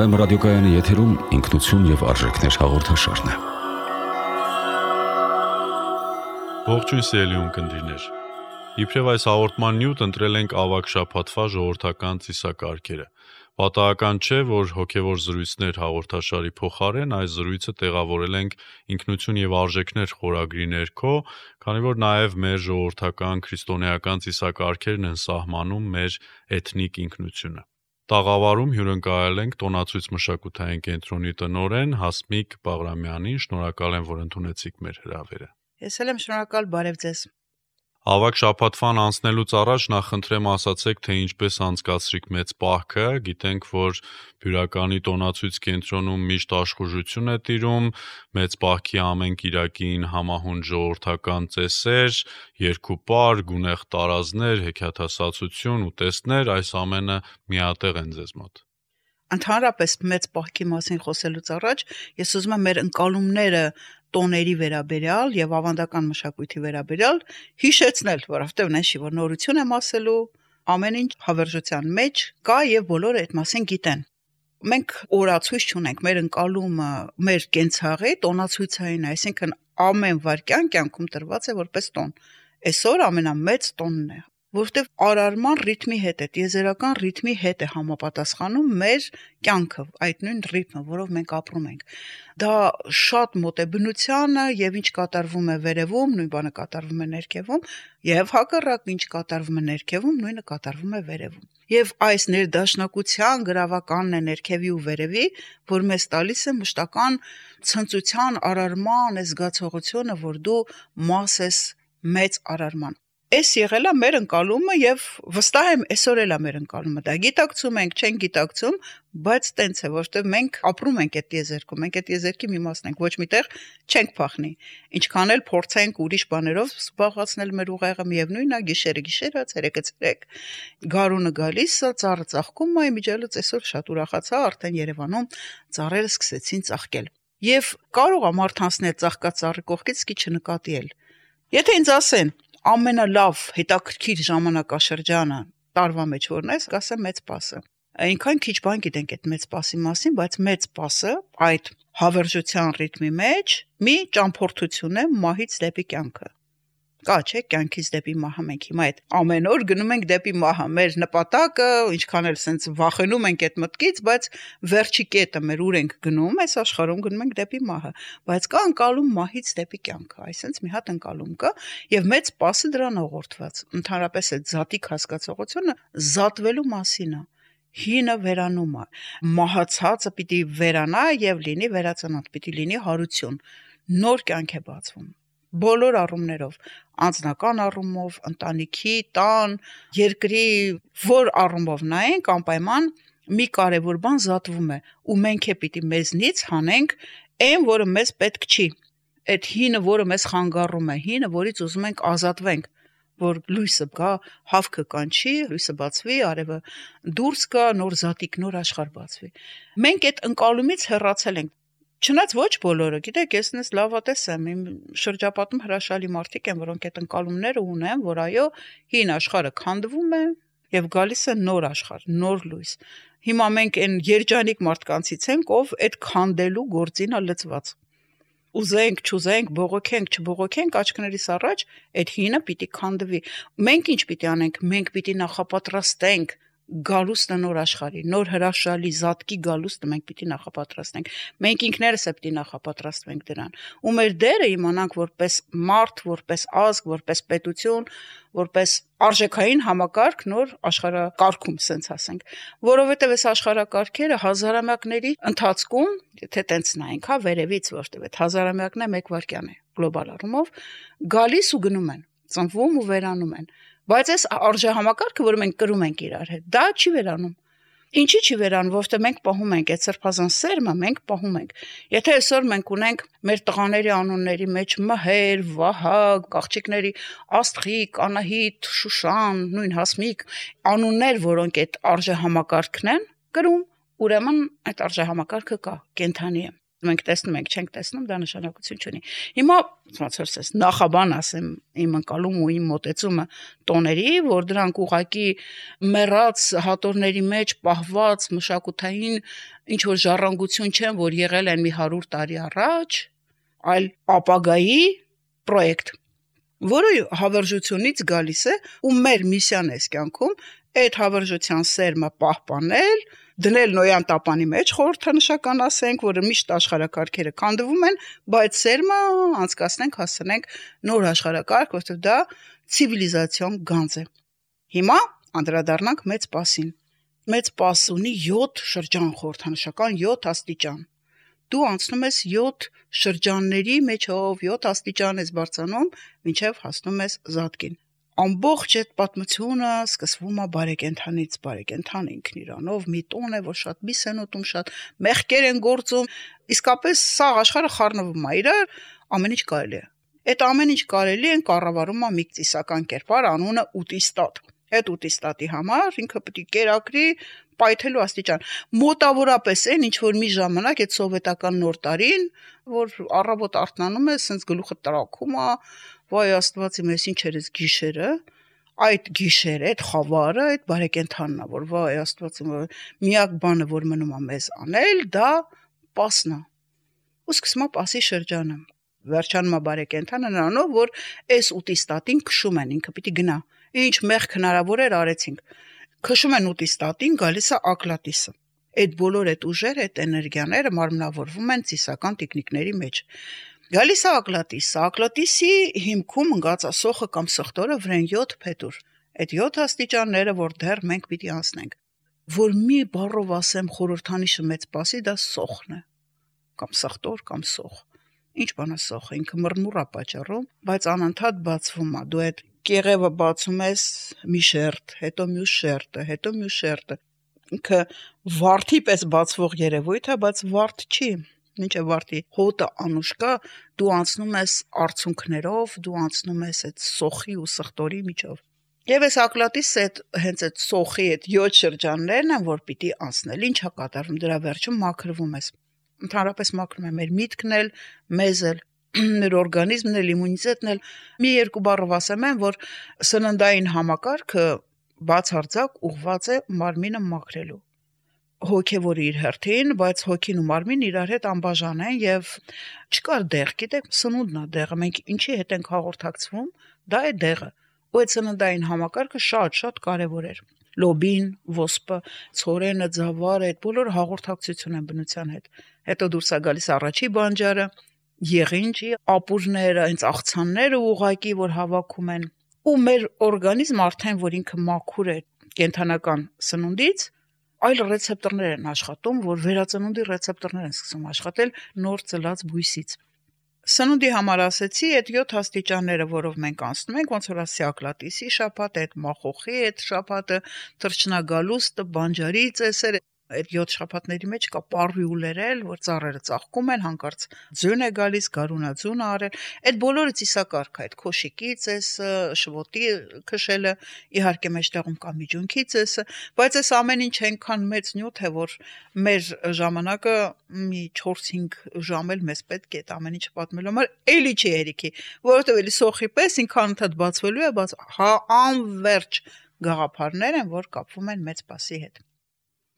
Հայ ռադիոկայանի եթերում ինքնություն եւ արժեքներ հաղորդաշարն է։ Ողջույն սիրելի ունկնդիրներ։ Իբրև այս հաղորդման նյութ ընտրել ենք ավագ շաբաթվա ժողովրդական ծիսակարգերը։ Պատահական չէ, որ հոգևոր զրույցներ հաղորդաշարի փոխարեն այս զրույցը տեղավորել ենք ինքնություն եւ արժեքներ խորագրի ներքո, քանի որ նաեւ մեր ժողովրդական քրիստոնեական ծիսակարգերն են սահմանում մեր էթնիկ ինքնությունը։ Տաղավարում հյուրընկալել ենք տոնացույց մշակութային կենտրոնի տնօրեն Հասմիկ Բաղրամյանին, շնորհակալ եմ, որ ընդունեցիք մեր հրավերը։ Ես էլ եմ շնորհակալ, բարև ձեզ։ Ավագ շաբաթվան անցնելուց առաջ նախընտրեմ ասացեք, թե ինչպես անցկացրիք մեծ պահքը, գիտենք, որ Բյուրականի տոնացույց կենտրոնում միշտ աշխուժություն է տիրում, մեծ պահքի ամեն կիրակին համահունչ ժողովրդական ծեսեր, երգուպար, գունեղ տարազներ, հեքիաթասացություն, ուտեստներ, այս ամենը միատեղ են ձեզ մոտ։ Ընդհանրապես մեծ պահքի մասին խոսելուց առաջ ես ուզում եմ մեր ընկալումները տոների վերաբերյալ եւ ավանդական մշակույթի վերաբերյալ հիշեցնել, որովհետեւ նշի, որ նորություն եմ ասելու, ամեն ինչ հավերժության մեջ կա եւ բոլորը այդ մասին գիտեն։ Մենք օրացույց չունենք, մեր ընկալումը մեր կենցաղի տոնացույցային, այսինքն ամեն վայրկյան կյանքում տրված է որպես տոն։ Այսօր ամենամեծ տոնն է, որովհետև արարման ռիթմի հետ է, տիեզերական ռիթմի հետ է համապատասխանում մեր կյանքը, այդ նույն ռիթմը, որով մենք ապրում ենք։ Դա շատ մոտ է բնությանը եւ ինչ կատարվում է վերևում, նույն բանը կատարվում է ներքևում, եւ հակառակ ինչ կատարվում է ներքևում, նույնը կատարվում է վերևում։ Եվ այս ներդաշնակության գրավականն է ներքևի ու վերևի, որ մեզ տալիս է մշտական ցնծության արարման զգացողությունը, որ դու մաս ես մեծ արարման։ Այս եղել է մեր ընկալումը եւ վստահ եմ այսօր էլ է մեր ընկալումը։ Դա գիտակցում ենք, չենք գիտակցում, բայց տենց է, որովհետեւ մենք ապրում ենք այդ տիեզերքում, մենք այդ տիեզերքի մի մասն ենք, ոչ միտեղ չենք փախնի։ Ինչքան էլ փորձենք ուրիշ բաներով զբաղացնել մեր ուղեղը, միևնույնն է, գիշերը, ցերեկը, գարունը գալիս է, ծառը ծաղկում է, միջելուց այսօր շատ ուրախացա, արդեն Երևանում ծառերը սկսեցին ծաղկել։ Եվ կարող է մարդ անցնել ծաղկած ծառի կողքից, քիչ չնկատի էլ։ Եթե ինձ ասեն ամենալավ հետաքրքիր ժամանակաշրջանը տարվա մեջ որն է, կասեմ մեծ պասը։ Այնքան քիչ բան գիտենք այդ մեծ պասի մասին, բայց մեծ պասը այդ հավերժության ռիթմի մեջ մի ճամփորդություն է մահից դեպի կյանքը։ Կա չէ, կյանքից դեպի մահը մենք հիմա այդ ամեն օր գնում ենք դեպի մահը, մեր նպատակը, ինչքան էլ սենց վախենում ենք այդ մտքից, բայց վերջի կետը մեր ուր ենք գնում, այս աշխարհում գնում ենք դեպի մահը, բայց կա ընկալում մահից դեպի կյանքը, այսինքն մի հատ ընկալում կա, եւ մեծ պասը դրան ուղղորդված։ Ընդհանրապես այդ զատիկ հասկացողությունը զատվելու մասին է։ Հինը վերանում է, մահացածը պիտի վերանա եւ լինի վերածնանդ, պիտի լինի հարություն, նոր կյանք է բացվում։ Բոլոր առումներով, անձնական առումով, ընտանիքի, տան, երկրի, որ առումով նայենք, անպայման մի կարևոր բան զատվում է, ու մենք է պիտի մեզնից հանենք այն, որը մեզ պետք չի։ Այդ հինը, որը մեզ խանգարում է, հինը, որից ուզում ենք ազատվենք, որ լույսը գա, հավքը կանչի, լույսը բացվի, արևը դուրս գա, նոր զատիկ, նոր աշխարհ բացվի։ Մենք այդ ընկալումից հեռացել ենք։ Չնայած ոչ բոլորը, գիտեք, ես նես լավատես եմ, իմ շրջապատում հրաշալի մարդիկ են, որոնք այդ ընկալումները ունեն, որ այո, հին աշխարհը քանդվում է եւ գալիս է նոր աշխարհ, նոր լույս։ Հիմա մենք այն երջանիկ մարդկանցից ենք, ով այդ քանդելու գործին է լծված։ Ուզենք, չուզենք, բողոքենք, չբողոքենք, աչքներիս առաջ այդ հինը պիտի քանդվի։ Մենք ինչ պիտի անենք, մենք պիտի նախապատրաստենք գալուստը նոր աշխարհի, նոր հրաշալի զատկի գալուստը մենք պիտի նախապատրաստենք։ Մենք ինքներս է պիտի նախապատրաստվենք դրան։ Ու մեր դերը իմանանք որպես մարդ, որպես ազգ, որպես պետություն, որպես արժեքային համակարգ նոր աշխարհակարգում, սենց ասենք, որովհետև այս աշխարհակարգերը հազարամյակների ընթացքում, եթե տենց նայենք, հա, վերևից, որտեղ այդ հազարամյակն է մեկ վայրկյան է գլոբալ առումով, գալիս ու գնում են, ծնվում ու վերանում են։ Բայց այս արժեհամակարգը, որ մենք կրում ենք իրար հետ, դա չի վերանում։ Ինչի չի վերանում, որովհետև մենք պահում ենք այդ սրբազան սերմը, մենք պահում ենք։ Եթե այսօր մենք ունենք մեր տղաների անունների մեջ Մհեր, Վահագ, աղջիկների Աստղիկ, Անահիտ, Շուշան, նույն Հասմիկ, անուններ, որոնք այդ արժեհամակարգն են կրում, ուրեմն այդ արժեհամակարգը կա, կենթանի է։ մենք տեսնում ենք, չենք տեսնում, դա նշանակություն չունի։ Հիմա ոնց նախաբան ասեմ, իմ ընկալում ու իմ մոտեցումը տոների, որ դրանք ուղակի մեռած հատորների մեջ պահված մշակութային ինչ որ ժառանգություն չեն, որ եղել են մի 100 տարի առաջ, այլ ապագայի պրոյեկտ, որը հավերժությունից գալիս է ու մեր միսիան է կյանքում այդ հավերժության սերմը պահպանել, դնել նոյան տապանի մեջ խորհրդանշական ասենք, որը միշտ աշխարհակարգերը քանդվում են, բայց սերմը անցկացնենք, հասցնենք նոր աշխարհակարգ, որտեղ դա ցիվիլիզացիոն գանձ է։ Հիմա անդրադառնանք մեծ պասին։ Մեծ պաս ունի 7 շրջան խորհրդանշական 7 աստիճան։ Դու անցնում ես 7 շրջանների մեջով, 7 աստիճան ես բարձրանում, մինչև հասնում ես Զատկին։ Ամբողջ այդ պատմությունը սկսվում է բարեկենդանից, բարեկենդան ինքն իրանով մի տոն է, որ շատ միս են ուտում, շատ մեղքեր են գործում, իսկապես սա աշխարհը խառնվում է իրար, ամեն ինչ կարելի է։ Այդ ամեն ինչ կարելի են կառավարում է մի ծիսական կերպար, անունը ուտիստատ։ Այդ ուտիստատի համար ինքը պետք է կերակրի պայթելու աստիճան։ Մոտավորապես այն ինչ որ մի ժամանակ այդ սովետական նոր տարին, որ առավոտ արթնանում է, սենց գլուխը տրակում է, վայ աստված իմ, ես ինչ էր այս գիշերը, այդ գիշերը, այդ խավարը, այդ բարեկենդանն է, որ վայ աստված իմ, միակ բանը, որ մնում է մեզ անել, դա պասն է։ Ու սկսում է պասի շրջանը։ Վերջանում է բարեկենդանը նրանով, որ այս ուտիստատին քշում են, ինքը պիտի գնա։ Ինչ մեղք հնարավոր էր արեցինք։ Քշում են ուտիստատին, գալիս է ակլատիսը։ Այդ բոլոր այդ ուժերը, այդ էներգիաները մարմնավորվում են ծիսական տիկնիկների մեջ։ Գալիս է ակլատիսը, ակլատիսի հիմքում ընկած սոխը կամ սխտորը վրան 7 փետուր։ Այդ 7 աստիճանները, որ դեռ մենք պիտի անցնենք։ Որ մի բառով ասեմ խորհրդանիշը մեծ պասի, դա սոխն է։ Կամ սխտոր, կամ սոխ։ Ինչ բան է սոխը, ինքը մռմուռ է պատճառում, բայց անընդհատ բացվում է։ Դու այդ կեղևը բացում ես մի շերտ, հետո մյուս շերտը, հետո մյուս շերտը։ Ինքը վարդի պես բացվող երևույթ է, բայց վարդ չի։ Ինչ է վարդի հոտը անուշ կա, դու անցնում ես արցունքներով, դու անցնում ես այդ սոխի ու սխտորի միջով։ Եվ այս ակլատիսը հենց այդ սոխի այդ 7 շրջաններն են, որ պիտի անցնել։ Ինչ է կատարվում, դրա վերջում մաքրվում ես։ Ընդհանրապես մաքրում է մեր միտքն էլ, մեզ էլ, մեր օրգանիզմն էլ, իմունիտետն էլ։ Մի երկու բառով ասեմ, որ սննդային համակարգը բացարձակ ուղղված է մարմինը մաքրելու։ Հոգևորը իր հերթին, բայց հոգին ու մարմինը իրար հետ անբաժան են եւ չկար դեղ, գիտեք, սնունդն է դեղը, մենք ինչի հետ ենք հաղորդակցվում, դա է դեղը։ Ու այդ սննդային համակարգը շատ կարևոր էր։ Լոբին, ոսպը, ցորենը, ձավարը, այդ բոլոր հաղորդակցություն են բնության հետ։ Հետո դուրս է գալիս առաջի բանջարը, եղինջի, ապուրները, այնց աղցանները ուղակի, որ հավաքում են։ Ու մեր օրգանիզմը արդեն, որ ինքը մաքուր է կենթանական սնունդից, այլ ռեցեպտորներ են աշխատում, որ վերածնունդի ռեցեպտորներ են սկսում աշխատել նոր ծլած բույսից։ Սնունդի համար ասեցի, այդ 7 աստիճանները, որով մենք անցնում ենք, ոնց որ ասի ակլատիսի շաբաթը, այդ մախոխի այդ շաբաթը, թռչնագալուստը, բանջարի ծեսերը, այդ 7 շաբաթների մեջ կա պարվի ու լերել, որ ծառերը ծաղկում են, հանկարծ ձյուն է գալիս, գարունաձյունը արել, այդ բոլորը ծիսակարգ է, այդ քոշիկի ծեսը, շվոտի քշելը, իհարկե մեջտեղում կա միջունքի ծեսը, բայց այս ամեն ինչ այնքան մեծ նյութ է, որ մեր ժամանակը մի 4-5 ժամ էլ մեզ պետք է այդ ամեն ինչը պատմելու համար էլի չի հերիքի, որովհետև էլի սոխի պես ինքան ընդհանրად բացվելու է, բայց անverջ գաղափարներ են, որ կապվում են մեծ պասի հետ։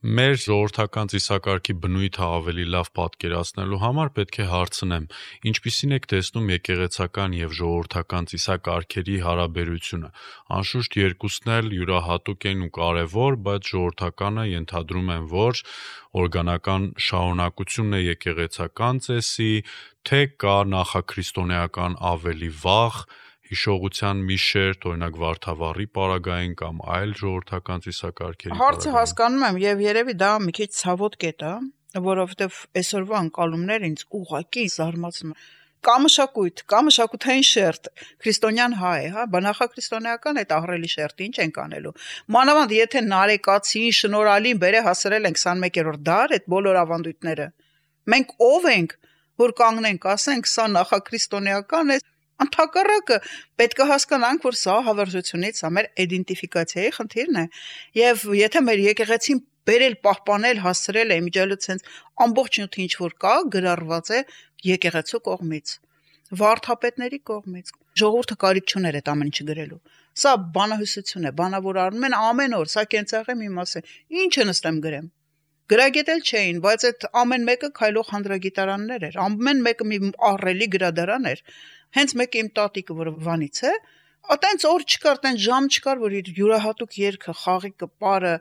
Մեր ժողովրդական ծիսակարգի բնույթը ավելի լավ պատկերացնելու համար պետք է հարցնեմ, ինչպիսին եք տեսնում եկեղեցական եւ ժողովրդական ծիսակարգերի հարաբերությունը։ Անշուշտ երկուսն էլ յուրահատուկ են ու կարևոր, բայց ժողովրդականը ենթադրում են, որ օրգանական շարունակությունն է եկեղեցական ծեսի, թե կա նախաքրիստոնեական ավելի վաղ հիշողության մի շերտ, օրինակ Վարդավառի պարագային կամ այլ ժողովրդական ծիսակարգերի։ Հարցը հասկանում եմ եւ երևի դա մի քիչ ցավոտ կետ է, որովհետեւ այսօրվա ընկալումները ինձ ուղղակի զարմացնում են։ Կա մշակույթ, կա մշակութային շերտ, քրիստոնյան հայ է, հա, բանախաքրիստոնեական այդ ահռելի շերտը ինչ ենք անելու։ Մանավանդ եթե Նարեկացին, Շնորհալին բերե հասրել են 21-րդ դար այդ բոլոր ավանդույթները։ Մենք ով ենք, որ կանգնենք, ասենք, սա նախաքրիստոնեական է։ Ընդհակառակը պետք է հասկանանք, որ սա հավերժությունից, սա մեր իդենտիֆիկացիայի խնդիրն է, եւ եթե մեր եկեղեցին բերել, պահպանել, հասցրել է իմիջիայլոց հենց ամբողջ նյութը ինչ որ կա, գրառված է եկեղեցու կողմից, վարդապետների կողմից։ Ժողովուրդը կարիք չուներ այդ ամեն ինչը գրելու։ Սա բանահյուսություն է, բանավոր արնում են ամեն օր, սա կենցաղի մի մաս է։ Ինչը նստեմ գրեմ։ Գրագետել չէին, բայց այդ ամեն մեկը քայլող հանդրագիտարաններ էր, ամեն մեկը մի ահռելի գրադարան էր։ Հենց մեկը իմ տատիկը, որը Վանից է, այտենց օր չկար, այտենց ժամ չկար, որ իր յուրահատուկ երգը, խաղիկը, պարը,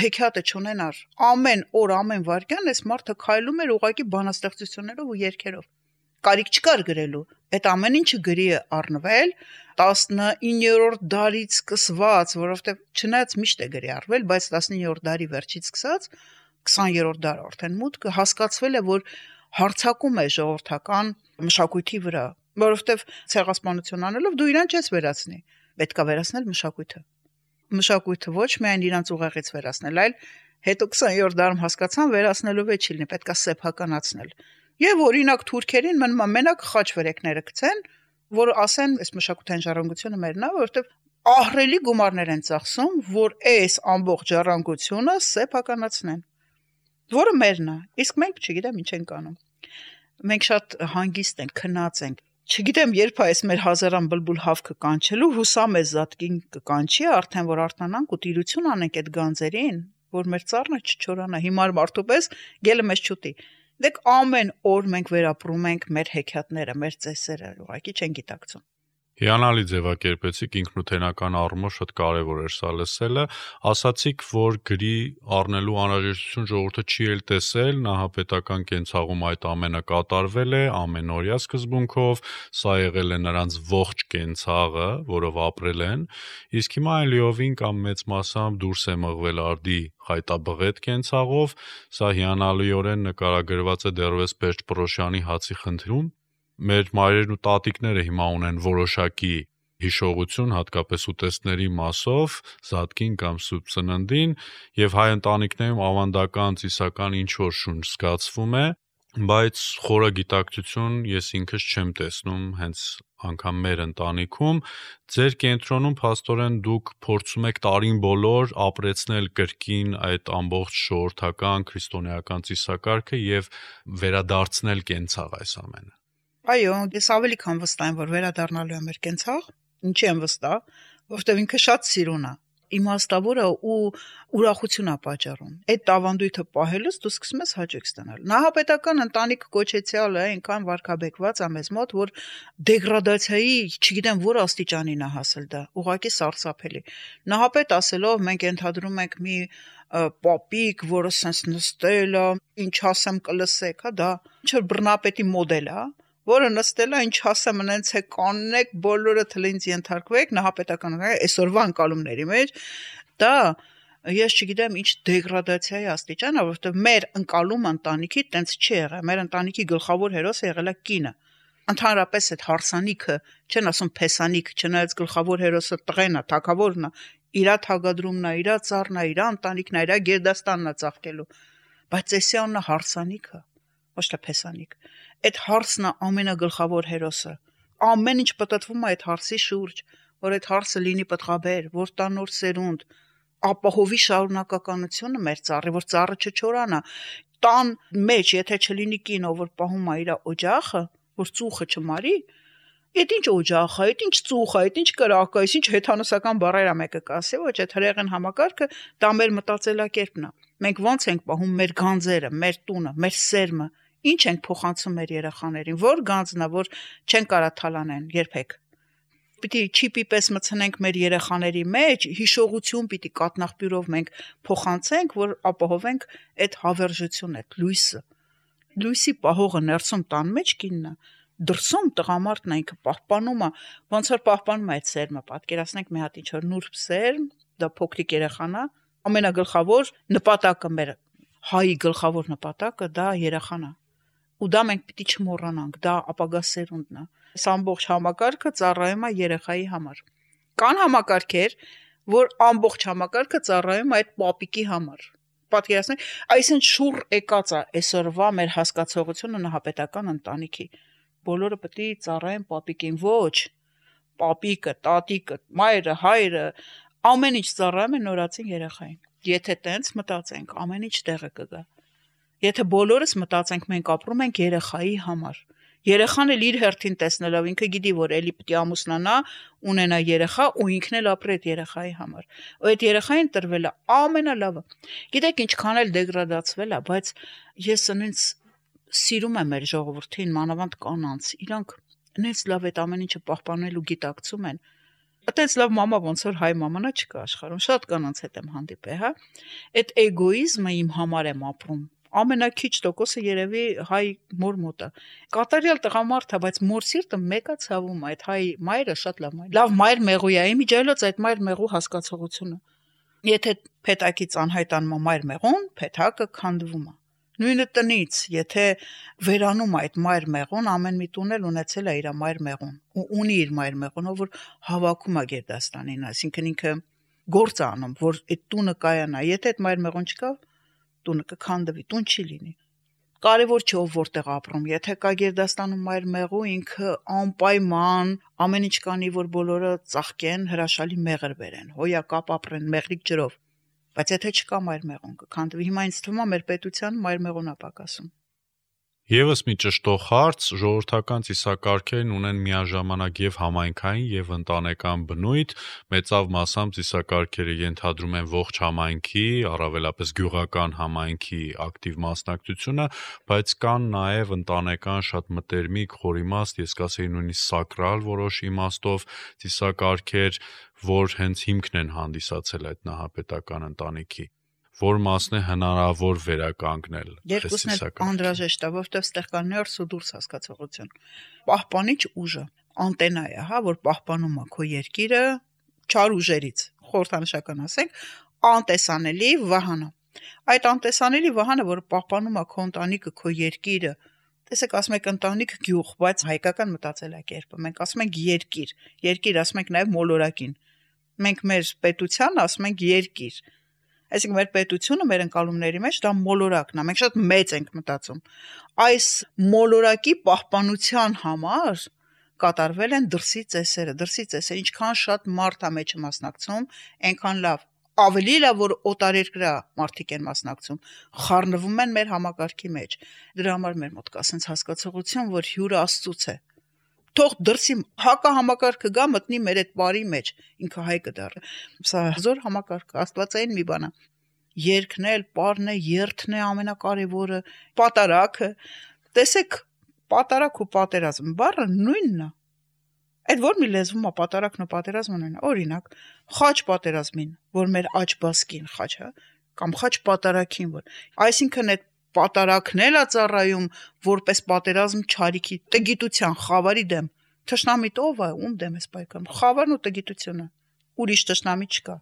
հեքիաթը չունենար։ Ամեն օր, ամեն վայրկյան այս մարդը քայլում էր ուղղակի բանաստեղծություններով ու երգերով։ Կարիք չկար գրելու։ Այդ ամեն ինչը գրի է առնվել 19-րդ դարից սկսված, որովհետև չնայած միշտ է գրի առվել, բայց 19-րդ դարի վերջից սկսած 20-րդ դար արդեն մուտքը հասկացվել է, որ հարցակում է ժողովրդական մշակույթի վրա, որովհետև ցեղասպանություն անելով դու իրան չես վերացնի, պետք է վերացնել մշակույթը։ Մշակույթը ոչ միայն իրանց ուղեղից վերացնել, այլ հետո 20-րդ դարում հասկացան վերացնելով է չի լինի, պետք է սեփականացնել։ Եվ օրինակ թուրքերին մնում է մենակ խաչվերեկները գցեն, որ ասեն, այս մշակութային ժառանգությունը մերն է, որովհետև ահռելի գումարներ են ծախսում, որ այս ամբողջ ժառանգությունը սեփականացնեն, որը մերն է։ Իսկ մենք չգիտեմ ինչ ենք անում։ Մենք շատ հանգիստ ենք, քնած ենք։ Չգիտեմ, երբ այս մեր հազարան բլբուլ հավքը կանչելու, հուսամ է զատկին կկանչի, արդեն որ արտանանք ու տիրություն անենք այդ գանձերին, որ մեր ծառնը չչորանա, հիմար մարդու պես գելը մեզ չուտի։ Դեք ամեն օր մենք վերապրում ենք մեր հեքիաթները, մեր ծեսերը, ուղղակի չեն գիտակցում։ Հիանալի ձևակերպեցիք, ինքնութենական առումով շատ կարևոր էր սա լսելը, ասացիք, որ գրի առնելու անհրաժեշտություն ժողովուրդը չի էլ տեսել, նահապետական կենցաղում այդ ամենը կատարվել է, ամենօրյա սկզբունքով, սա եղել է նրանց ողջ կենցաղը, որով ապրել են, իսկ հիմա այն լիովին կամ մեծ մասամբ դուրս է մղվել արդի խայտաբղետ կենցաղով, սա հիանալիորեն նկարագրված է դեռևս Պերճ Պռոշյանի Հացի խնդրում։ Մեր մայրերն ու տատիկները հիմա ունեն որոշակի հիշողություն, հատկապես ուտեստների մասով, զատկին կամ սուրբ ծննդին, եւ հայ ընտանիքներում ավանդական ծիսական ինչ-որ շունչ զգացվում է, բայց խորը գիտակցություն ես ինքս չեմ տեսնում հենց անգամ մեր ընտանիքում։ Ձեր կենտրոնում փաստորեն դուք փորձում եք տարին բոլոր ապրեցնել կրկին այդ ամբողջ ժողովրդական քրիստոնեական ծիսակարգը եւ վերադարձնել կենցաղ այս ամենը։ Այո, ես ավելի քան վստահ եմ, որ վերադառնալու է մեր կենցաղ։ Ինչի եմ վստահ, որովհետև ինքը շատ սիրուն է, իմաստավոր է ու ուրախություն է պատճառում։ Այդ տավանդույթը պահելուց դու սկսում ես հաճույք ստանալ։ Նահապետական ընտանիք կոչեցյալը այնքան վարքաբեկված է մեզ մոտ, որ դեգրադացիայի, չգիտեմ որ աստիճանին է հասել դա, ուղղակի սարսափելի։ Նահապետ ասելով մենք ենթադրում ենք մի պապիկ, որը սենց նստել է, ինչ ասեմ կլսեք, հա, դա ինչ որ բռնապետի մոդել է, որը նստել է, ինչ ասեմ, նենց է կանեք, բոլորը թլինց ենթարկվեք, նահապետական այսօրվա ընկալումների մեջ, դա ես չգիտեմ ինչ դեգրադացիայի աստիճան է, որովհետև մեր ընկալում ընտանիքի տենց չի եղել, մեր ընտանիքի գլխավոր հերոսը եղել է կինը։ Ընդհանրապես այդ հարսանիքը, չեն ասում փեսանիք, չնայած գլխավոր հերոսը տղեն է, թագավորն է, իրա թագադրումն է, իրա ծառն է, իրա ընտանիքն է, իրա գերդաստանն է ծաղկելու, բայց Էսիանն է հարսանիքը, ոչ թե փեսանիք։ Այդ հարսն է ամենագլխավոր հերոսը։ Ամեն ինչ պատտվում է այդ հարսի շուրջ, որ այդ հարսը լինի պտղաբեր, որ տա նոր սերունդ, ապահովի շարունակականությունը մեր ծառի, որ ծառը չչորանա։ Տան մեջ, եթե չլինի կինը, որ պահում է իր օջախը, որ ծուխը չմարի, այդ ինչ օջախ է, այդ ինչ ծուխ է, այդ ինչ կրակ է, ինչ հեթանոսական բառեր է մեկը կասի, ոչ այդ հրեղեն համակարգը, դա մեր մտածելակերպն է։ Մենք ոնց ենք պահում մեր գանձերը, մեր տունը, մեր սերմը, ինչ ենք փոխանցում մեր երեխաներին, որ գանձն է, որ չեն կարա թալանեն երբեք։ Պիտի չիպի պես մցնենք մեր երեխաների մեջ, հիշողություն պիտի կատնաղբյուրով մենք փոխանցենք, որ ապահովենք այդ հավերժությունը, այդ լույսը։ Լույսի պահողը ներսում տան մեջ կինն է, դրսում տղամարդն է, ինքը պահպանում է, ոնց որ պահպանում է այդ սերմը, պատկերացնենք մի հատ ինչ-որ նուրբ սերմ, դա փոքրիկ երեխան է, ամենագլխավոր նպատակը մեր հայի գլխավոր նպատակը դա երեխան է։ Ու դա մենք պիտի չմոռանանք, դա ապագա սերունդն է։ Այս ամբողջ համակարգը ծառայում է երեխայի համար։ Կան համակարգեր, որ ամբողջ համակարգը ծառայում է այդ պապիկի համար։ Պատկերացնեք, այսինքն շուռ եկած է այսօրվա մեր հասկացողությունը նահապետական ընտանիքի։ Բոլորը պետք է ծառայեն պապիկին, ոչ։ Պապիկը, տատիկը, մայրը, հայրը ամեն ինչ ծառայում է նորածին երեխային։ Եթե տենց մտածենք, ամեն ինչ տեղը կգա։ Եթե բոլորս մտածենք, մենք ապրում ենք երեխայի համար։ Երեխան էլ իր հերթին տեսնելով ինքը գիտի, որ էլի պետք է ամուսնանա, ունենա երեխա ու ինքն էլ ապրի այդ երեխայի համար։ Ու այդ երեխային տրվել է ամենալավը։ Գիտեք ինչքան էլ դեգրադացվել է, բայց ես ինձ սիրում եմ մեր ժողովրդին, մանավանդ կանանց։ Իրանք ինձ լավ այդ ամեն ինչը պահպանել ու գիտակցում են։ Այդպես լավ մամա ոնց որ հայ մամանա չկա աշխարհում, շատ կանանց հետ եմ հանդիպել, հա։ Այդ էգոիզմը իմ համար եմ ապրում։ Ամենաքիչ տոկոսը երևի հայ մոր մոտ է։ Կատարյալ տղամարդ է, բայց մոր սիրտը մեկա ցավում է։ Այդ հայ մայրը շատ լավ մայր։ Լավ մայր մեղու է, իմիջայլոց այդ մայր մեղու հասկացողությունը։ Եթե փետակից անհայտանում է մայր մեղուն, փետակը քանդվում է։ Նույնը տնից, եթե վերանում այդ մայր մեղուն, ամեն մի տուն էլ ունեցել է իր մայր մեղուն ու ունի իր մայր մեղունը, որ հավաքում է գերդաստանին, այսինքն ինքը գործ է անում, որ այդ տունը կայանա։ Եթե այդ մայր մեղուն չկա, տունը կքանդվի, տուն չի լինի։ Կարևոր չէ ով որտեղ ապրում, եթե կա գերդաստանում մայր մեղու, ինքը անպայման ամեն ինչ կանի, որ բոլորը ծաղկեն, հրաշալի մեղր բերեն, հոյակապ ապրեն մեղրիկ ջրով։ Բայց եթե չկա մայր մեղուն կքանդվի, հիմա ինձ թվում է մեր պետության մայր մեղուն է պակասում։ Եվս մի ճշտող հարց, ժողովրդական ծիսակարգերն ունեն միաժամանակ եւ համայնքային եւ ընտանեկան բնույթ, մեծավ մասամբ ծիսակարգերը ենթադրում են ողջ համայնքի, առավելապես գյուղական համայնքի ակտիվ մասնակցությունը, բայց կան նաեւ ընտանեկան շատ մտերմիկ, խորիմաստ, ես կասեի նույնիսկ սակրալ որոշ իմաստով ծիսակարգեր, որ հենց հիմքն են հանդիսացել այդ նահապետական ընտանիքի, որ մասն է հնարավոր վերականգնել։ Երկուսն էլ անհրաժեշտ է, որովհետև ստեղ կա ներս ու դուրս հասկացողություն։ Պահպանիչ ուժը անտենա է, հա, որ պահպանում է քո երկիրը չար ուժերից, խորհրդանշական ասենք, անտեսանելի վահանը։ Այդ անտեսանելի վահանը, որ պահպանում է քո ընտանիքը, քո երկիրը, տեսեք, ասում եք ընտանիք գյուղ, բայց հայկական մտածելակերպը, մենք ասում ենք երկիր, երկիր ասում ենք նաև մոլորակին։ Մենք մեր պետության ասում ենք երկիր։ Այսինքն մեր պետությունը մեր ընկալումների մեջ դա մոլորակն է, մենք շատ մեծ ենք մտածում։ Այս մոլորակի պահպանության համար կատարվել են դրսի ծեսերը, ինչքան շատ մարդ է մեջը մասնակցում, այնքան լավ, ավելի լավ որ օտարերկրյա մարդիկ են մասնակցում, խառնվում են մեր համակարգի մեջ։ Դրա համար մեր մոտ կա sense հասկացողություն, որ հյուրը Աստծուց է։ Թող դրսի հակա համակարգը գա մտնի մեր այդ բարի մեջ, ինքը հայ կդառը։ Սա զոր համակարգը, աստվածային մի բան է։ Երկն էլ, պարն է, երթն է ամենակարևորը, պատարակը։ Տեսեք, պատարակ ու պատերազմ բառը նույնն է։ Այդ որ մի լեզվում է պատարակն ու պատերազմը նույնն է։ Օրինակ, խաչ պատերազմին, որ մեր աջ բասկին խաչ է, կամ խաչ պատարակին, որ այսինքն այդ պատարակն էլ է ծառայում որպես պատերազմ չարիքի, տգիտության, խավարի դեմ։ Թշնամիտ ով է, ում դեմ ես պայքարում։ Խավարն ու տգիտությունը։ Ուրիշ թշնամի չկա։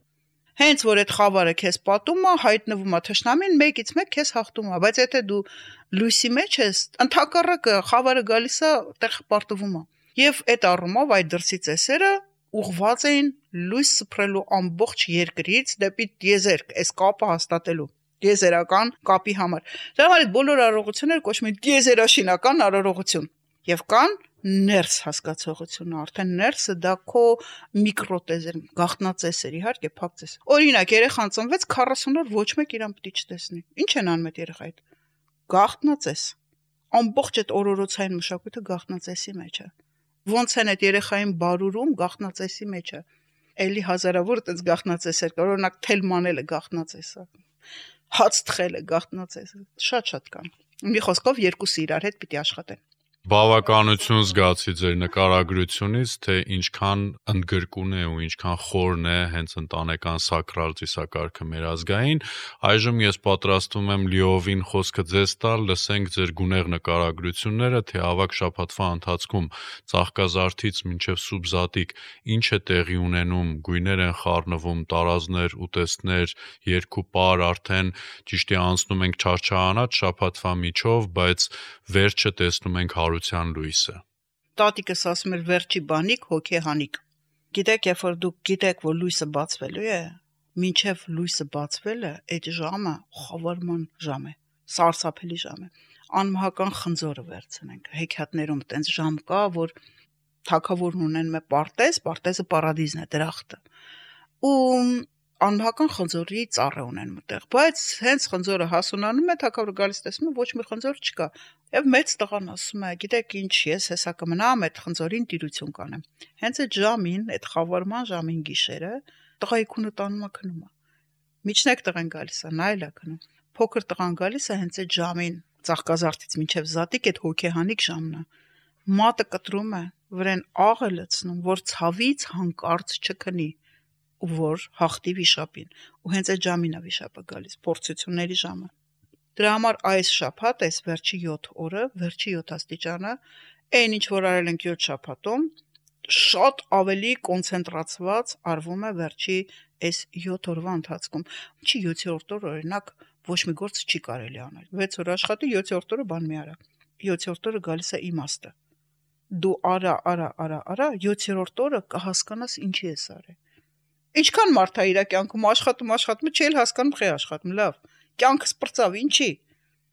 Հենց որ այդ խավարը քեզ պատում է, հայտնվում է թշնամին, մեկից մեկ քեզ հաղթում է, բայց եթե դու լույսի մեջ ես, ընդհակառակը խավարը գալիս է, տեղ պարտվում է։ Եվ այդ առումով այդ դրսի ծեսերը ուղղված էին լույս սփռելու ամբողջ երկրից դեպի տիեզերք, այս կապը հաստատելու, տիեզերական կապի համար։ Դրա համար այդ բոլոր արարողությունները կոչվում են տիեզերաշինական արարողություն։ Եվ կան ներս հասկացողությունը, արդեն ներսը դա քո միկրոտեզեր, գաղտնածեսեր, իհարկե փակ ծես։ Օրինակ, երեխան ծնվեց 40 օր ոչ մեկ իրան պիտի չտեսնի։ Ինչ են անում այդ երեխայդ։ Գաղտնածես։ Ամբողջ այդ օրորոցային մշակույթը գաղտնածեսի մեջ է։ Ոնց են այդ երեխային բարուրում գաղտնածեսի մեջ է։ Էլի հազարավոր այդպես գաղտնածեսեր կա, օրինակ թելմանելը գաղտնածեսը, հաց թխելը գաղտնածեսը, շատ կան։ Մի խոսքով երկուսը իրար հետ պիտի աշխատեն։ Բավականություն զգացի ձեր նկարագրությունից, թե ինչքան ընդգրկուն է ու ինչքան խորն է հենց ընտանեկան սակրալ ծիսակարգը մեր ազգային։ Այժմ ես պատրաստվում եմ լիովին խոսքը ձեզ տալ, լսենք ձեր գունեղ նկարագրությունները, թե ավագ շաբաթվա ընթացքում ծաղկազարդից մինչև սուբզատիկ ինչ է տեղի ունենում, գույներ են խառնվում, տարազներ, ուտեստներ, երկուպար արդեն ճիշտ է անցնում ենք չարչարանած շաբաթվա միջով, բայց վերջը տեսնում ենք հարության լույսը։ Տատիկս ասում էր վերջի բանիկ հոգեհանիկ։ Գիտեք, երբ որ դուք գիտեք, որ լույսը բացվելու է, մինչև լույսը բացվելը, այդ ժամը խավարման ժամ է, սարսափելի ժամ է։ Անմահական խնձորը վերցնենք։ Հեքիաթներում տենց ժամ կա, որ թագավորն ունեն մե պարտեզ, պարտեզը պարադիզն է, դրախտը։ Ու անհական խնձորի ծառ ունեն մտեղ, բայց հենց խնձորը հասունանում է, թագավորը գալիս տեսնում է ոչ մի խնձոր չկա։ Եվ մեծ տղան ասում է, գիտեք ինչ, ես հեսա կմնամ այդ խնձորին տիրություն կանեմ։ Հենց այդ ժամին, այդ խավարման ժամին գիշերը, տղայի քունը տանում է քնում է։ Միջնեք տղան գալիս է, նայել է քնում։ Փոքր տղան գալիս է հենց այդ ժամին, ծաղկազարդից մինչև զատիկ այդ հոգեհանիկ ժամն է։ Մատը կտրում է, վրան աղ է լցնում, որ ցավից հանկարծ չքնի, ու որ հաղթի վիշապին։ Ու հենց այդ ժամին է վիշապը գալիս, փորձությունների ժամը։ Դրա համար այս շաբաթ, այս վերջի 7 օրը, վերջի 7 աստիճանը, այն ինչ որ արել ենք 7 շաբաթում, շատ ավելի կոնցենտրացված արվում է վերջի այս 7 օրվա ընթացքում։ Չի 7-րդ օր օրինակ ոչ մի գործ չի կարելի անել։ 6 օր աշխատի, 7-րդ օրը բան մի արա։ 7-րդ օրը գալիս է իմաստը։ Դու արա, 7-րդ օրը կհասկանաս ինչի ես արել։ Ինչքան մարդ է իր կյանքում աշխատում, չի էլ հասկանում խի աշխատում, լավ։ Կյանքը սպրծավ, ինչի։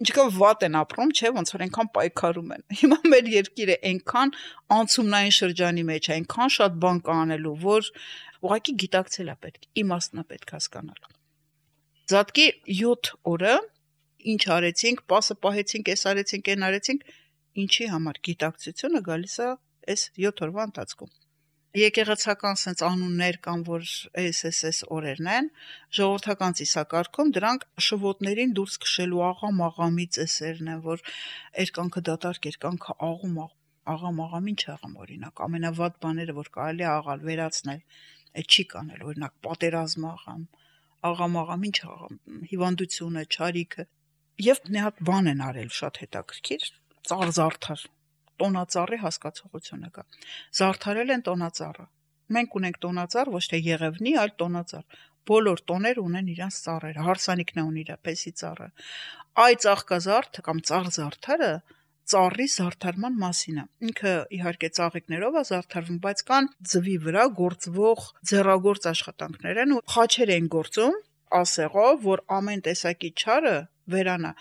Ինչքան վատ են ապրում, չէ, ոնց որ այնքան պայքարում են։ Հիմա մեր երկիրը այնքան անցումնային շրջանի մեջ է, այնքան շատ բան կա անելու, որ ուղղակի գիտակցել է պետք, իմաստն է պետք հասկանալ։ Զատկի 7 օրը ինչ արեցինք, պասը պահեցինք, այս արեցինք, այն արեցինք, ինչի համար գիտակցությունը գալիս է այս 7 օրվա ընթացքում։ Եկեղեցական sense անուններ կան, որ այս օրերն են, ժողովրդական ծիսակարգում դրանք շվոտներին դուրս քշելու աղամ-աղամի ծեսերն են, որ երկանքը դատարկ, երկանքը աղամ-աղամ ինչ աղամ օրինակ, ամենավատ բաները, որ կարելի է աղալ, վերացնել, այդ չի կանել, օրինակ պատերազմ աղամ ինչ աղամ, հիվանդությունը, չարիքը, եւ մի հատ բան են արել շատ հետաքրքիր, ծառ-զարդար, տոնածառի հասկացողությունը կա։ Զարդարել են տոնածառը։ Մենք ունենք տոնածառ, ոչ թե Եղևնի, այլ տոնածառ։ Բոլոր տոները ունեն իրենց ծառերը, հարսանիքն է ունի իր պես ծառը։ Այ ծաղկազարդ կամ ծառ-զարդարը ծառի զարդարման մասին է։ Ինքը իհարկե ծաղիկներով է զարդարվում, բայց կան ձվի վրա գործվող ձեռագործ աշխատանքներ են ու խաչեր են գործում ասեղով, որ ամեն տեսակի չարը վերանա։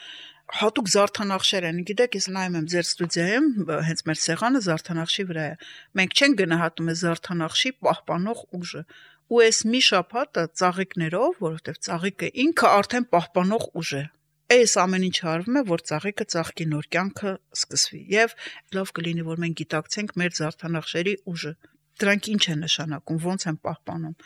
Հատուկ զարդանախշեր են, գիտեք, ես նայում եմ ձեր ստուդիայում, հենց մեր սեղանը զարդանախշի վրա է։ Մենք չենք գնահատում այս զարդանախշի պահպանող ուժը։ Ու այս մի շաբաթը ծաղիկներով, որովհետև ծաղիկը ինքը արդեն պահպանող ուժ է։ Այս ամեն ինչ արվում է, որ ծաղիկը ծաղկի, նոր կյանքը սկսվի։ Եվ լավ կլինի, որ մենք գիտակցենք մեր զարդանախշերի ուժը։ Դրանք ինչ են նշանակում, ոնց են պահպանում,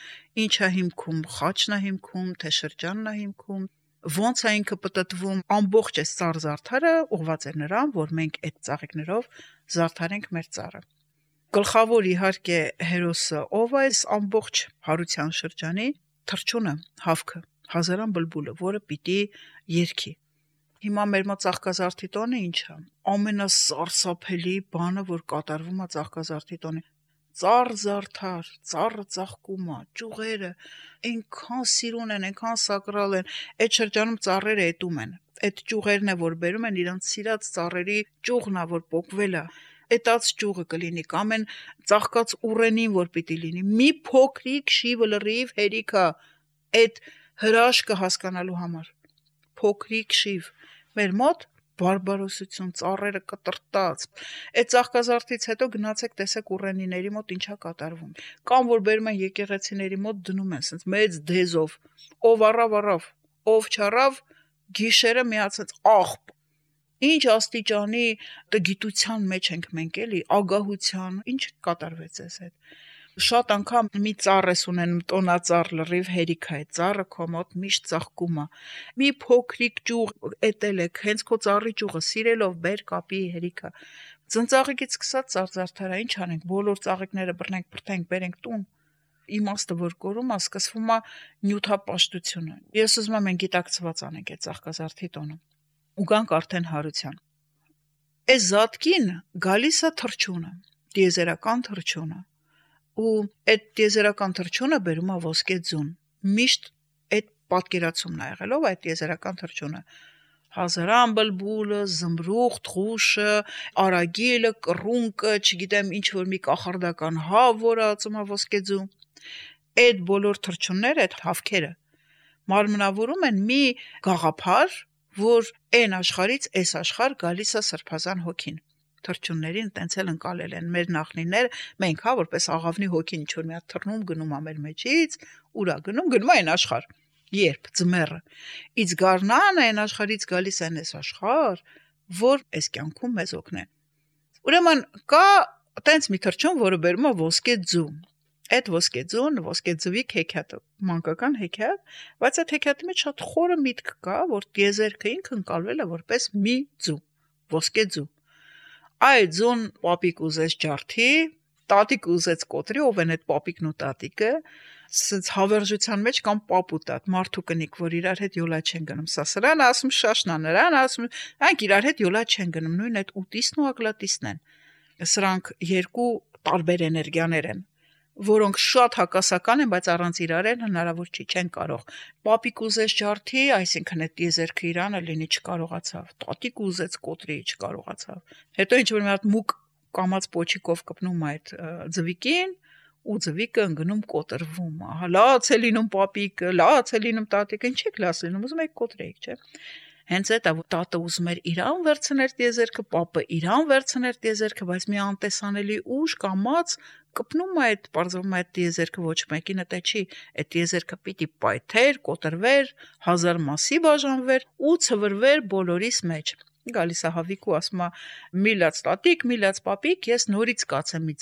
ինչ է հիմքում, խաչն է հիմքում, թե շրջանն է հիմքում, ոնց է ինքը պտտվում, ամբողջ այս ծառ զարդարը ուղղված է նրան, որ մենք այդ ծաղիկներով զարդարենք մեր ծառը։ Գլխավոր իհարկե հերոսը ով է այս ամբողջ հարության շրջանի, թռչունը, հավքը, հազարան բլբուլը, որը պիտի երգի։ Հիմա մեր մոտ ծաղկազարդի տոնը ինչ է։ Ամենասարսափելի բանը, որ կատարվում է ծաղկազարդի տոնի։ Ծառ զարդար, ծառը ծաղկում է, ճյուղերը այնքան սիրուն են, այնքան սակրալ են, այդ շրջանում ծառերը էտում են։ Այդ ճյուղերն է, որ բերում են իրանց սիրած ծառերի ճյուղն է, որ պոկվել է։ Էտած ճյուղը կլինի կամ են ծաղկած ուռենին, որ պիտի լինի։ Մի փոքրիկ շիվը լրիվ հերիքա այդ հրաշքը հասկանալու համար։ Փոքրիկ շիվ։ Մեր մոտ բարբարոսություն, ծառերը կտրտած։ Այդ ծաղկազարդից հետո գնացեք տեսեք ուռենիների մոտ ինչա կատարվում։ Կամ որ բերում են եկեղեցիների մոտ դնում են, ասենց մեծ դեզով, ով առավ, ով չառավ, գիշերը միացած աղբ։ Ինչ աստիճանի գիտության մեջ ենք մենք էլի, ագահության, ինչ կատարվեց այս հետ։ Շատ անգամ մի ծառ ես ունենում, տոնածառ լրիվ հերիք է, ծառը քո մոտ միշտ ծաղկում է։ Մի փոքրիկ ճյուղ էտել եք, հենց քո ծառի ճյուղը սիրելով բեր կապի հերիքա։ Ծնծաղիկից սկսած ծառ-զարդարա ինչ անենք, բոլոր ծաղիկները բռնենք, բրթենք, բերենք տուն։ Իմաստը որ կորում է, սկսվում է նյութապաշտությունը։ Ես ուզում եմ մենք գիտակցված անենք այդ ծաղկազարդի տոնը։ Ու գանք արդեն հարության։ Այս զատկին գալիս է թռչունը, տիեզերական թռչունը։ Ու այդ տիեզերական թռչունը բերում է ոսկե ձուն։ Միշտ այդ պատկերացումն է եղել, ով այդ տիեզերական թռչունը։ Հազարան բլբուլը, զմրուխտ, խուշը, արագիլը, կռունկը, չգիտեմ ինչ որ մի կախարդական հավ, որը ածում է ոսկե ձու։ Այդ բոլոր թռչունները, այդ հավքերը մարմնավորում են մի գաղափար, որ այն աշխարից այս աշխարհ գալիս է սրբազան հոգին։ թրջուններին տենց էլ ընկալել են մեր նախնիները, մենք հա որպես աղավնի հոգին ինչ որ մի հատ թռնում գնում ա մեր մեջից, ուրա գնում այն աշխարհ։ Երբ ձմեռը ից գառնան այն աշխարհից գալիս են այս աշխարհ, որ այս կյանքում մեզ օգնեն։ Ուրեմն կա տենց մի թրջուն, որը բերում է ոսկե ձու։ Այդ ոսկե ձուն, ոսկե ձվի հեքիաթը, մանկական հեքիաթ, բայց այդ հեքիաթի մեջ շատ խորը միտք կա, որ տիեզերքը ինքը ընկալվել է որպես մի ձու, ոսկե ձու։ Այդ ձուն պապիկ ուզեց ջարդի, տատիկ ուզեց կոտրի, ով են այդ պապիկն ու տատիկը, սենց հավերժության մեջ կամ պապ ու տատ, մարդու կնիկ, որ իրար հետ յոլա չեն գնում, սա սրան ասում շաշնա, նրան ասում, այնք իրար հետ յոլա չեն գնում, նույն այդ ուտիսն ու ակլատիսն են։ Սրանք երկու տարբեր էներգիաներ են, որոնք շատ հակասական են, բայց առանց իրար են հնարավոր չի, չեն կարող։ Պապիկ ուզեց ջարդի, այսինքն այդ տիեզերքը իրանը լինի չկարողացավ, տատիկ ուզեց կոտրի, չկարողացավ։ Հետո ինչ որ մի հատ մուկ կամած պոչիկով կպնում այդ ձվիկին, ու ձվիկը ընկնում կոտրվում, ահա լաց է լինում պապիկը, լաց է լինում տատիկը, ինչ եք լաց լինում, ուզում եք կոտրեիք, չէ։ Հենց այդ տատը ուզում էր իրան վերցնել տիեզերքը, պապը իրան վերցնել տիեզերքը, բայց մի անտեսանելի ուժ կամած կպնում այդ բարձրում այդ տիեզերքը ոչ մեկին դա չի, այդ տիեզերքը պիտի պայթեր, կոտրվեր, 1000 մասի բաժանվեր ու ցվրվեր բոլորիս մեջ։ Գալիս է հավիկու ասում է միլաց տատիկ, միլաց պապիկ, ես նորից կացեմ մի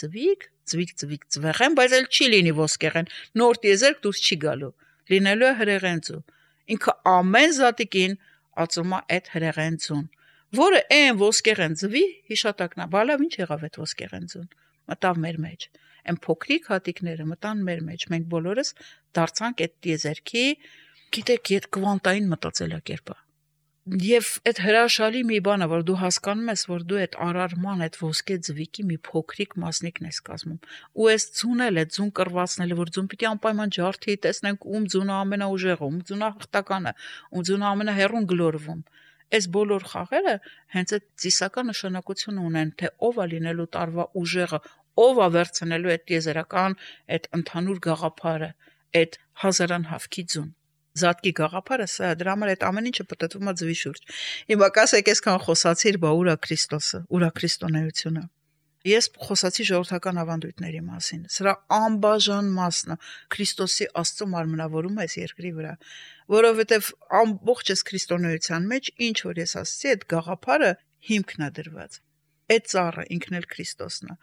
ձվիկ ձվեղեն, բայց էլ չի լինի ոսկեղեն, նոր տիեզերք դուրս չի գալու, լինելու է հրեղեն ձու։ Ինքը ամեն զատիկին ածում է այդ հրեղեն ձուն, որը այն ոսկեղեն ձվի հիշատակն է, բալավ ինչ եղավ այդ ոսկեղեն ձուն, մտավ մեր մեջ, այն փոքրիկ հատիկները մտան մեր մեջ, մենք բոլորս դարձանք այդ տիեզերքի, գիտեք, այդ կվանտային մտածելակերպը։ Եվ այդ հրաշալի մի բան է, որ դու հասկանում ես, որ դու այդ արարման, այդ ոսկե ձվիկի մի փոքրիկ մասնիկն ես կազմում։ Ու այս ձունել է, ձուն կռվածնելը, որ ձուն պիտի անպայման ջարդի, տեսնենք ում ձունը ամենաուժեղը, ում ձունը հաղթականը, ում ձունը ամենահեռուն գլորվում։ Այս բոլոր խաղերը հենց այդ ծիսական նշանակություն ունեն, թե ով է լինելու տարվա ուժեղը, ով է վերցնելու այդ տիեզերական, այդ ընդհանուր գաղափարը, այդ հազարանհավքի ձուն։ Զատկի գաղափարը սա, դրա համար այդ ամեն ինչը պատտվում է ձվի շուրջ։ Հիմա կասեք, այսքան խոսացիր, բա ուրա Քրիստոսը, ուրա քրիստոնեությունը։ Ես խոսացի ժողովրդական ավանդույթների մասին։ Սրա անբաժան մասն է Քրիստոսի Աստծո մարմնավորումը այս երկրի վրա, որովհետև ամբողջ այս քրիստոնեության մեջ ինչ որ ես ասացի, այդ գաղափարը հիմքն է դրված։ Այդ ծառը ինքն էլ Քրիստոսն է։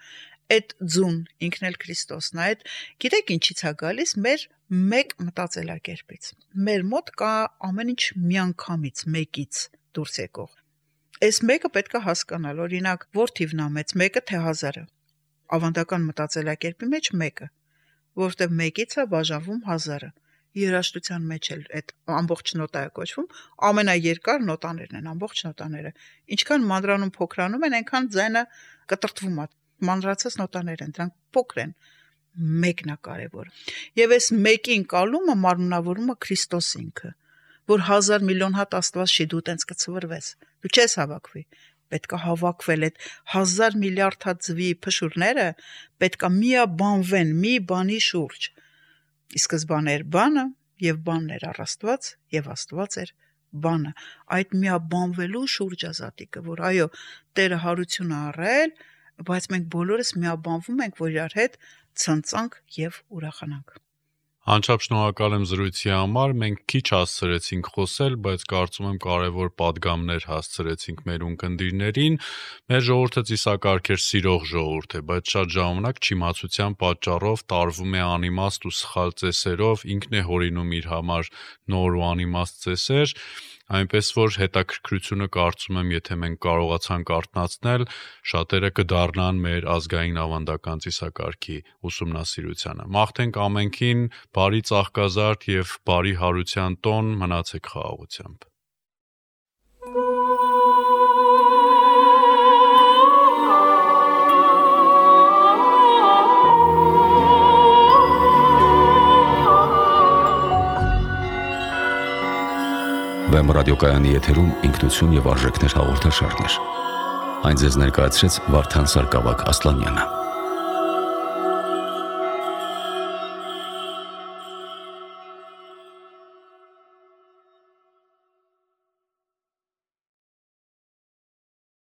Այդ ձուն ինքն էլ Քրիստոսն է, այդ գիտեք ինչից է գալիս մեր մեկ մտածելակերպից։ Մեր մոտ կա ամեն ինչ միանգամից, մեկից դուրս եկող։ Այս մեկը պետք է հասկանալ, օրինակ, որ թիվն է մեծ, մեկը թե 1000-ը։ Ավանդական մտածելակերպի մեջ մեկը, որովհետև մեկից է բաժանվում 1000-ը։ Երաժշտության մեջ էլ այդ ամբողջ նոտա է կոչվում, ամենաերկար նոտաներն են, ամբողջ նոտաները։ Ինչքան մանրանում փոքրանում են, այնքան ձայնը կտրտվում է։ Մանրացած նոտաներ են, դրանք փոքր են, մեկն է կարևոր։ Եվ այս մեկի ընկալումը մարմնավորումը Քրիստոս ինքը, որ 1000 միլիոն հատ Աստված չի դու տենց կցվրվես։ Դու չես հավաքվի, պետք է հավաքվել այդ 1000 միլիարդ հատ ձվի փշուրները, պետք է միաբանվեն մի բանի շուրջ։ Ի սկզբանե էր բանը, եւ բանն էր առ Աստված, եւ Աստված էր բանը։ Այդ միաբանվելու շուրջ ազատիկը, որ այո, Տերը հարություն է առել, բայց մենք բոլորս միաբանվում ենք, որ իրար հետ ցնծանք եւ ուրախանանք։ Անչափ շնորհակալ եմ զրույցի համար, մենք քիչ հասցրեցինք խոսել, բայց կարծում եմ կարևոր պատգամներ հասցրեցինք մեր ունկնդիրներին։ Մեր ժողովուրդը ծիսակարգեր սիրող ժողովուրդ է, բայց շատ ժամանակ չիմացության պատճառով տարվում է անիմաստ ու սխալ ծեսերով, ինքն է հորինում իր համար նոր ու անիմաստ ծեսեր, այնպես որ հետաքրքրությունը կարծում եմ, եթե մենք կարողացանք արթնացնել, շատերը կդառնան մեր ազգային ավանդական ծիսակարգի ուսումնասիրությանը։ Մաղթենք ամենքին բարի ծաղկազարդ եւ բարի հարության տոն, մնացեք խաղաղությամբ։ Վեմ ռադիոկայանի եթերում ինքնություն եւ արժեքներ հաղորդաշարներ։ Այն ձեզ ներկայացրեց Վարդան Սարգսակ Ասլանյանը։